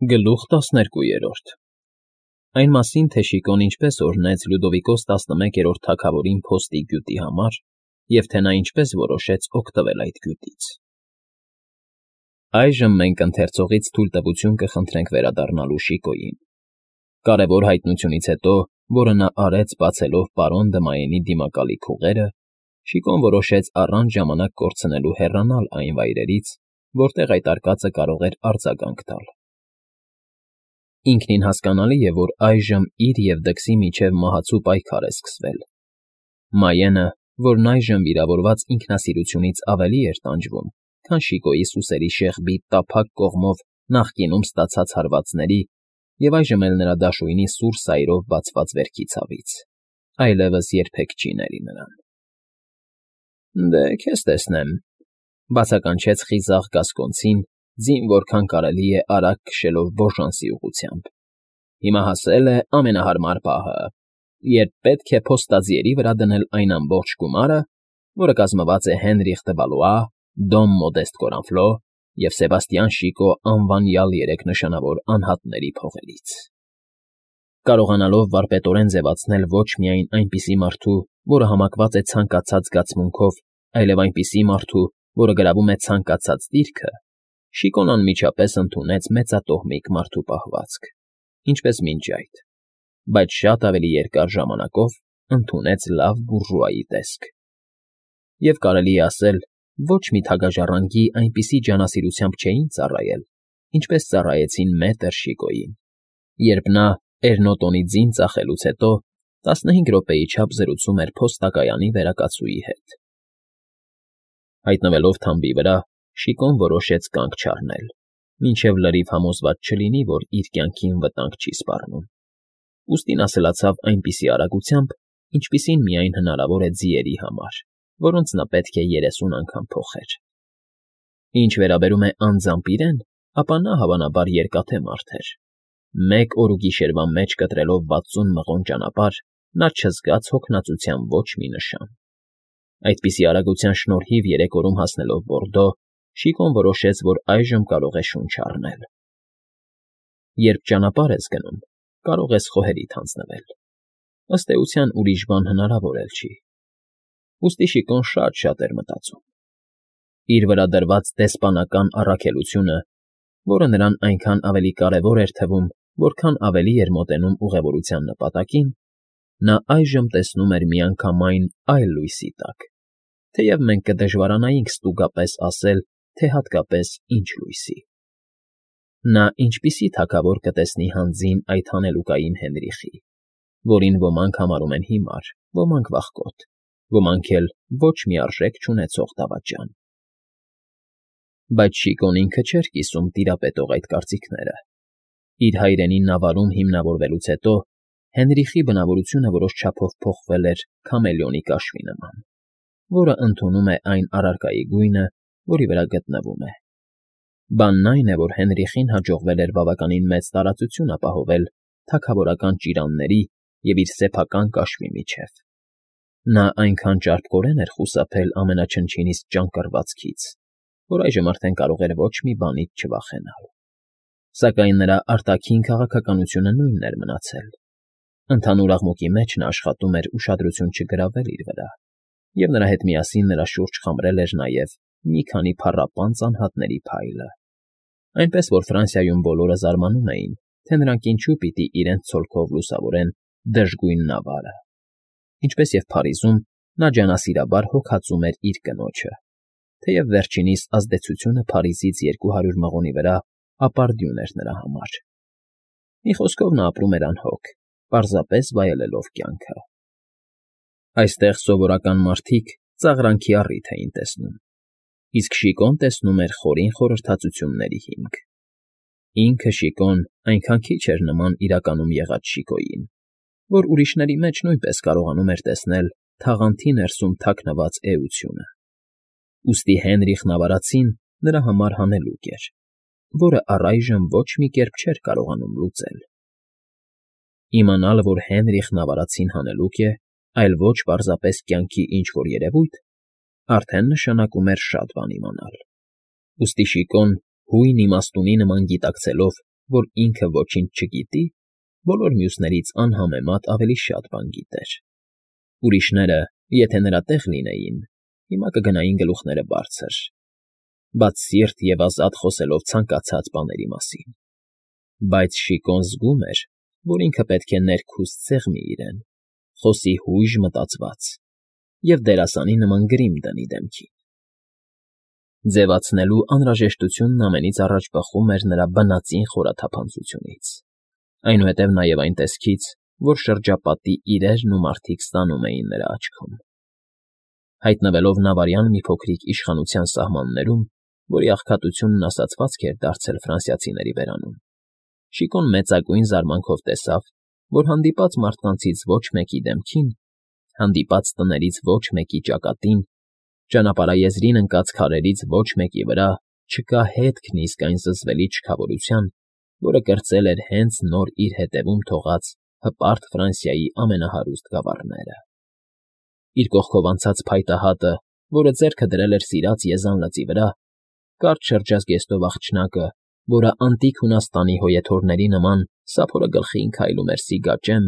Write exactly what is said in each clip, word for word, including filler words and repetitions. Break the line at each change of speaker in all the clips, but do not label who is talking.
Գլուխ տասներկուերորդ Այն մասին, թե Շիկոն ինչպես օրհնեց Լյուդովիկոս տասնմեկերորդ թագավորին փոստի գյուտի համար և թե նա ինչպես որոշեց օգտվել այդ գյուտից։ Այժմ մենք ընթերցողից թույլտվություն կխնդրենք վերադառնալու Շիկոյին։ Կարևոր հայտնությունից հետո, որը նա արեց բացելով պարոն Դմայենի դիմակալի փուղերը, Շիկոն որոշեց առանց ժամանակ կորցնելու հեռանալ այն վայրերից, որտեղ այդ արկածը կարող էր արձագանք տալ։ Ինքնին հասկանալի է, որ այժմ իր և դքսի միջև մահացու պայքար է սկսվել։ Մայենը, որն այժմ վիրավորված ինքնասիրությունից ավելի էր տանջվում, քան Շիկոյի սուսերի շեղբի տափակ կողմով նախկինում ստացած հարվածների և այժմ էլ նրա դաշույնի սուր սայրով բացված վերքի ցավից, այլևս երբեք չի ների նրան։ ֊ Դե, քեզ տեսնեմ,֊ բացականչեց խիզախ գասկոնցին, ձին որքան կարելի է արագ քշելով բոժանսի ուղղությամբ։֊ Հիմա հասել է ամենահարմար պահը, երբ պետք է փոստաձիերի վրա դնել այն ամբողջ գումարը, որը կազմված է Հենրիխ դը Վալուա, Դոմ Մոդեստ Կորանֆլո և Սեբաստիան Շիկո անվանյալ երեք նշանավոր անհատների փողերից։ Կարողանալով վարպետորեն ձևացնել ոչ միայն այնպիսի մարդու, որը համակված է ցանկացած զգացմունքով, այլև այնպիսի մարդու, որը գրավում է ցանկացած դիրքը, Շիկոն անմիջապես ընդունեց մեծատոհմիկ մարդու պահվածք, ինչպես մինչ այդ, բայց շատ ավելի երկար ժամանակով ընդունեց լավ բուրժուայի տեսք։ Եվ կարելի է ասել, ոչ մի թագաժառանգի այնպիսի ջանասիրությամբ չէին ծառայել, ինչպես ծառայեցին մետր Շիկոյին, երբ նա, Էրնոտոնի ձին ծախելուց հետո, տասնհինգ րոպեի չափ զրուցում էր փոստակայանի վերակացուի հետ։ Հայտնվելով թամբի վրա, Շիկոն որոշեց կանգ չառնել, մինչև լրիվ համոզված չլինի, որ իր կյանքին վտանգ չի սպառնում, ուստի նա սլացավ այնպիսի արագությամբ, ինչպիսին միայն հնարավոր է ձիերի համար, որոնց նա պետք է երեսուն անգամ փոխեր։ Ինչ վերաբերում է անձամբ իրեն, ապա նա, հավանաբար, երկաթե մարդ էր։ Մեկ օրուգիշերվա մեջ կտրելով վաթսուն մղոն ճանապարհ, նա չզգաց հոգնածության ոչ մի նշան։ Այդպիսի արագության շնորհիվ երեք օրում հասնելով Բորդո, Շիկոն որոշեց, որ այժմ կարող է շունչ առնել։ Երբ ճանապարհ ես գնում, կարող ես խոհերիդ հանձնվել։ Ըստ էության ուրիշ բան հնարավոր էլ չի։ Ուստի Շիկոն շատ֊շատ էր մտածում։ Իր վրա դրված դեսպանական առաքելությունը, որը նրան այնքան ավելի կարևոր էր թվում, որքան ավելի էր մոտենում ուղևորության նպատակին, նա այժմ տեսնում էր միանգամայն այլ լույսի տակ, թեև մենք կդժվարանայինք ստուգապես ասել, թե հատկապես ինչ լույսի։ Նա ինչպիսի թագավոր կտեսնի հանձին այդ հանելուկային Հենրիխի, որին ոմանք համարում են հիմար, ոմանք վախկոտ, ոմանք էլ ոչ մի արժեք չունեցող դավաճան։ Բայց Շիկոն ինքը չէր կիսում տիրապետող այդ կարծիքները։ Իր հայրենի նավարում հիմնավորվելուց հետո Հենրիխի բնավորությունը որոշ չափով փոխվել էր քամելեոնի կաշվի նման, որը ընդունում է այն առարկայի գույնը, որի վրա գտնվում է։ Բանն այն է, որ Հենրիխին հաջողվել էր բավականին մեծ տարածություն ապահովել թագավորական ճիրանների և իր սեփական կաշվի միջև։ Նա այնքան ճարպկորեն էր խուսափել ամենաչնչինիսկ ճանկռվածքից, որ այժմ արդեն կարող էր ոչ մի բանից չվախենալ։ Սակայն նրա արտաքին քաղաքականությունը նույնն էր մնացել։ Ընդհանուր աղմուկի մեջ նա աշխատում էր ուշադրություն չգրավել իր վրա, և նրա հետ միասին նրա շուրջ խմրել էր նաև մի քանի փառապանծ անհատների փայլը, այնպես որ Ֆրանսիայում բոլորը զարմանում էին, թե նրանք ինչու պիտի իրենց ցոլքով լուսավորեն դժգույն նավարը, ինչպես և Փարիզում նա ջանասիրաբար հոգածում էր իր կնոջը, թեև վերջինիս ազդեցությունը Փարիզից երկու հարյուր մղոնի վրա ապարդյուն էր նրա համար։ Մի խոսքով նա ապրում էր անհոգ, պարզապես վայելելով կյանքը։ Այստեղ սովորական մարդիկ ծաղրանքի առիթ էին տեսնում, իսկ Շիկոն տեսնում էր խորին խորհրդածությունների հիմք։ Ինքը՝ Շիկոն, այնքան քիչ էր նման իրականում եղած Շիկոյին, որ ուրիշների մեջ նույնպես կարողանում էր տեսնել թաղանթի ներսում թաքնված էությունը։ Ուստի Հենրիխն ավարածին նրա համար հանելուկ էր, որը առայժմ ոչ մի կերպ չէր կարողանում լուծել։ Իմանալ, որ Հենրիխն ավարածին հանելուկ է, այլ ոչ պարզապես կյանքի ինչ֊որ երևույթ, արդեն նշանակում էր շատ բան իմանալ։ Ուստի Շիկոն, հույն իմաստունի նման գիտակցելով, որ ինքը ոչինչ չգիտի, բոլոր մյուսներից անհամեմատ ավելի շատ բան գիտեր. ուրիշները, եթե նրա տեղ լինեին, հիմա կգնային գլուխները բարձր, բաց սիրտ և ազատ խոսելով ցանկացած բաների մասին, բայց Շիկոն զգում էր, որ ինքը պետք է ներքուստ սեղմի իրեն, խոսի հույժ մտածված և դերասանի նման գրիմ դնի դեմքին. ձևացնելու անհրաժեշտությունն ամենից առաջ բխում էր նրա բնածին խորաթափանցությունից, այնուհետև նաև այն տեսքից, որ շրջապատի իրերն ու մարդիկ ստանում էին նրա աչքում. հայտնվելով նավարյան մի փոքրիկ իշխանության սահմաններում, որի աղքատությունն ասացվածք էր դարձել ֆրանսիացիների բերանում, Շիկոն մեծագույն զարմանքով տեսավ, որ հանդիպած մարդկանցից ոչ մեկի դեմքին, հանդիպած տներից ոչ մեկի ճակատին, ճանապարհաեզրին ընկած քարերից ոչ մեկի վրա չկա հետքն իսկ այն զզվելի չքավորության, որը կրծել էր հենց նոր իր հետևում թողած հպարտ Ֆրանսիայի ամենահարուստ գավառները. իր կողքով անցած փայտե հատը, որը ձեռքը դրել էր սիրած Եզան լճի վրա, կարճ շրջազգեստով աղջնակը, որը անտիկ Հունաստանի հոյեթորների նման սափորը գլխին քայլում էր սիգաճեմ,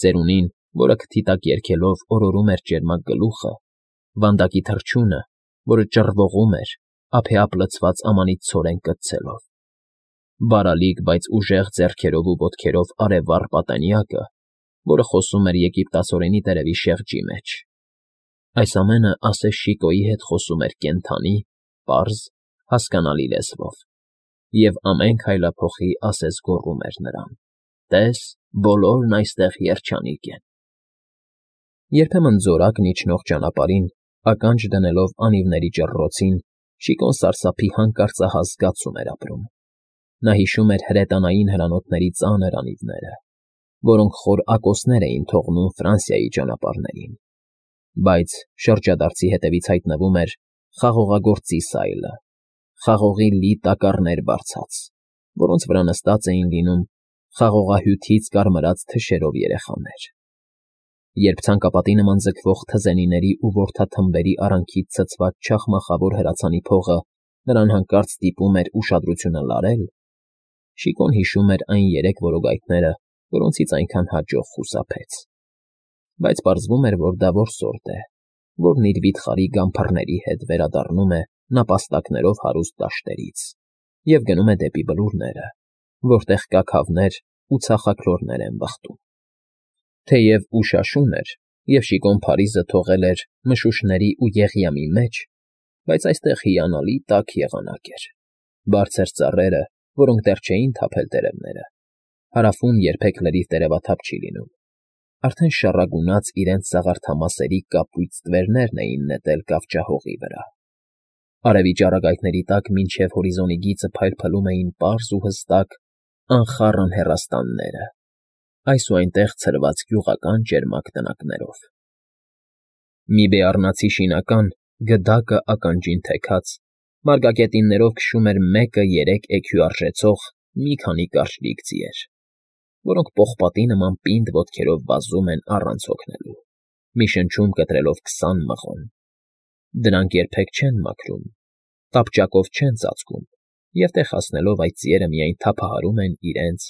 ծերունին, որը քթի տակ երգելով օրորում էր ճերմակ գլուխը, վանդակի թռչունը, որը ճռվողում էր, ափեափ լցված ամանից ցորեն կծցելով, բարալիկ, բայց ուժեղ ձեռքերով ու ոտքերով արևառ պատանյակը, որը խոսում էր եգիպտացորենի տերևի շեղջի մեջ. այս ամենը ասես Շիկոյի հետ խոսում էր կենդանի, պարզ, հասկանալի լեզվով, և ամեն քայլափոխի ասես գոռում էր նրան. «Տես, բոլորն այստեղ երջանիկ են»։ Երբեմն զորակն իջնող ճանապարհին, ականջ դնելով անիվների ճռռոցին, Շիկոն սարսափի հանկարծահաս զգացում էր ապրում. նա հիշում էր հրետանային հրանոթների ծանր անիվները, որոնք խոր ակոսներ էին թողնում Ֆրանսիայի ճանապարհներին, բայց շրջադարձի հետևից հայտնվում էր խաղողագործի սայլը, խաղողի լի տակառներ բարձած, որոնց վրա նստած էին լինում խաղողահյութից կարմրած թշերով երեխաներ. երբ ցանկապատի նման ձգվող թզենիների ու որդաթմբերի արանքից ցցված չախմախավոր հրացանի փողը նրան հանկարծ ստիպում էր ուշադրությունը լարել, Շիկոն հիշում էր այն երեք որոգայթները, որոնցից այնքան հաջող խուսափեց, բայց պարզվում էր, որ դա որսորդ է, որն իր վիթխարի գամփռների հետ վերադառնում է նապաստակներով հարուստ դաշտերից և գնում է դեպի բլուրները, որտեղ կաքավներ ու ցախաքլորներ են վխտում. թեև ուշ աշուն էր, և Շիկոն Փարիզը թողել էր մշուշների ու եղյամի մեջ, բայց այստեղ հիանալի տաք եղանակ էր, բարձր ծառերը, որոնք դեռ չէին թափել տերևները, հարավում երբեք լրիվ տերևաթափ չի լինում, արդեն շառագունած իրենց սաղարթամասերի կապույտ ստվերներն էին նետել կավճահողի վրա, արևի ճառագայթների տակ մինչև հորիզոնի գիծը փայլփլում էին պարզ ու հստակ անխառն հեռաստանները, այս ու այնտեղ ցրված գյուղական ճերմակ տնակներով։ Մի բեառնացի շինական, գդակը ականջին թեքած, մարգագետիններով քշում էր մեկը երեք էքյու արժեցող մի քանի կարճլիկ ձիեր, որոնք պողպատի նման պինդ ոտքերով վազում են առանց հոգնելու, մի շնչում կտրելով քսան մղոն. դրանք երբեք չեն մաքրում, տապճակով չեն ծածկում, և տեղ հասնելով այդ ձիերը միայն թափահարում են իրենց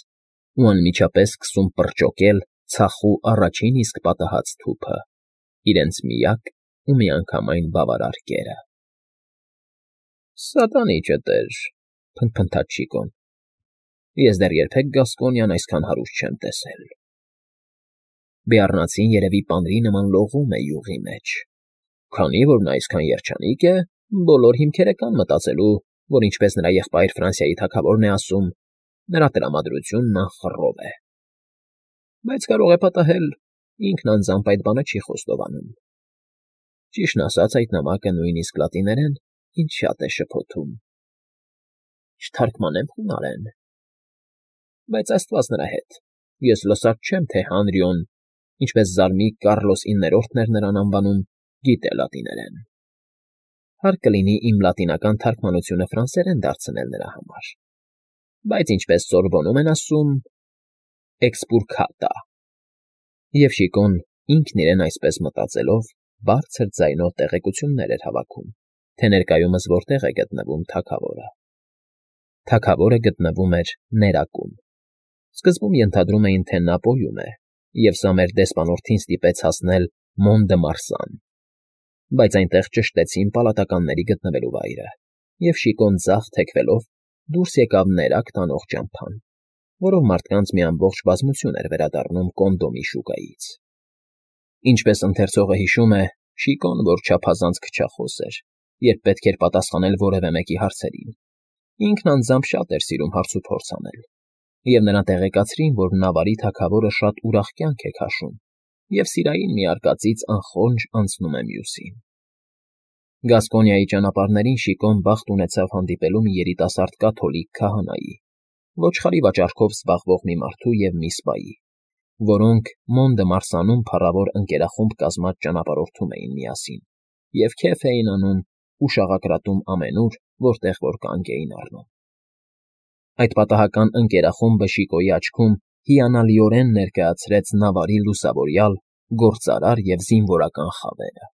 ու անմիջապես սկսում պրճոկել ցախու առաջին իսկ պատահած թուփը, իրենց միակ ու միանգամայն բավարար կերը։ «Սատանի ճտեր», փնթփնթաց Շիկոն, «ես դեռ երբեք Գասկոնիան այսքան հարուստ չեմ տեսել»։ Բեառնացին երևի պանրի նման լողում է յուղի մեջ, քանի որ նա այսքան երջանիկ է, բոլոր հիմքերը կան մտածելու, որ ինչպես նրա եղբայր Ֆրանսիայի թագավորն է ասում, նրա տրամադրությունն անխռով է, բայց կարող է պատահել, ինքն անձամբ այդ բանը չի խոստովանում։ Ճիշտն ասած, այդ նամակը նույնիսկ լատիներեն ինձ շատ է շփոթում, չթարգմանեմ խունարեն, բայց աստված նրա հետ, ես լսած չեմ, թե Հանրիոն, ինչպես զարմիկ Կառլոս իններորդն էր նրան անվանում, գիտե լատիներեն։ Հարկ կլինի իմ լատինական թարգմանությունը ֆրանսերեն դարձնել նրա համար, բայց ինչպես Սորբոնում են ասում, էքսպուրքատա։ Եվ Շիկոն, ինքն իրեն այսպես մտածելով, բարձր ձայնով տեղեկություններ էր հավաքում, թե ներկայումս որտեղ է գտնվում թագավորը։ Թագավորը գտնվում էր ներակում։ Սկզբում ենթադրում էին, թե նա պոյում է, և սա մեր դեսպանորդին ստիպեց հասնել Մոն֊դը֊Մարսան, բայց այնտեղ ճշտեցին պալատականների գտնվելու վայրը, և Շիկոն ձախ թեքվելով դուրս եկավ ներակ տանող ճամփան, որով մարդկանց մի ամբողջ բազմություն էր վերադառնում Կոնդոմի շուկայից։ Ինչպես ընթերցողը հիշում է, Շիկոն, որ չափազանց քչախոս էր, երբ պետք էր պատասխանել որևէ մեկի հարցերին, ինքն անձամբ շատ էր սիրում հարցուփորձ անել, և նրան տեղեկացրին, որ Նավարի թագավորը շատ ուրախ կյանք է քաշում և սիրային մի արկածից անխոնջ անցնում է մյուսին։ Գասկոնիայի ճանապարհներին Շիկոն բախտ ունեցավ հանդիպելու մի երիտասարդ կաթոլիկ քահանայի, ոչխարի վաճառքով զբաղվող մի մարդու և մի սպայի, որոնք Մոն֊դը֊Մարսանում փառավոր ընկերախումբ կազմած ճանապարհորդում էին միասին և քեֆ էին անում ու շաղակրատում ամենուր, որտեղ որ կանգ էին առնում։ Այդ պատահական ընկերախումբը Շիկոյի աչքում հիանալիորեն ներկայացրեց Նավարի լուսավորյալ, գործարար և զինվորական խավերը։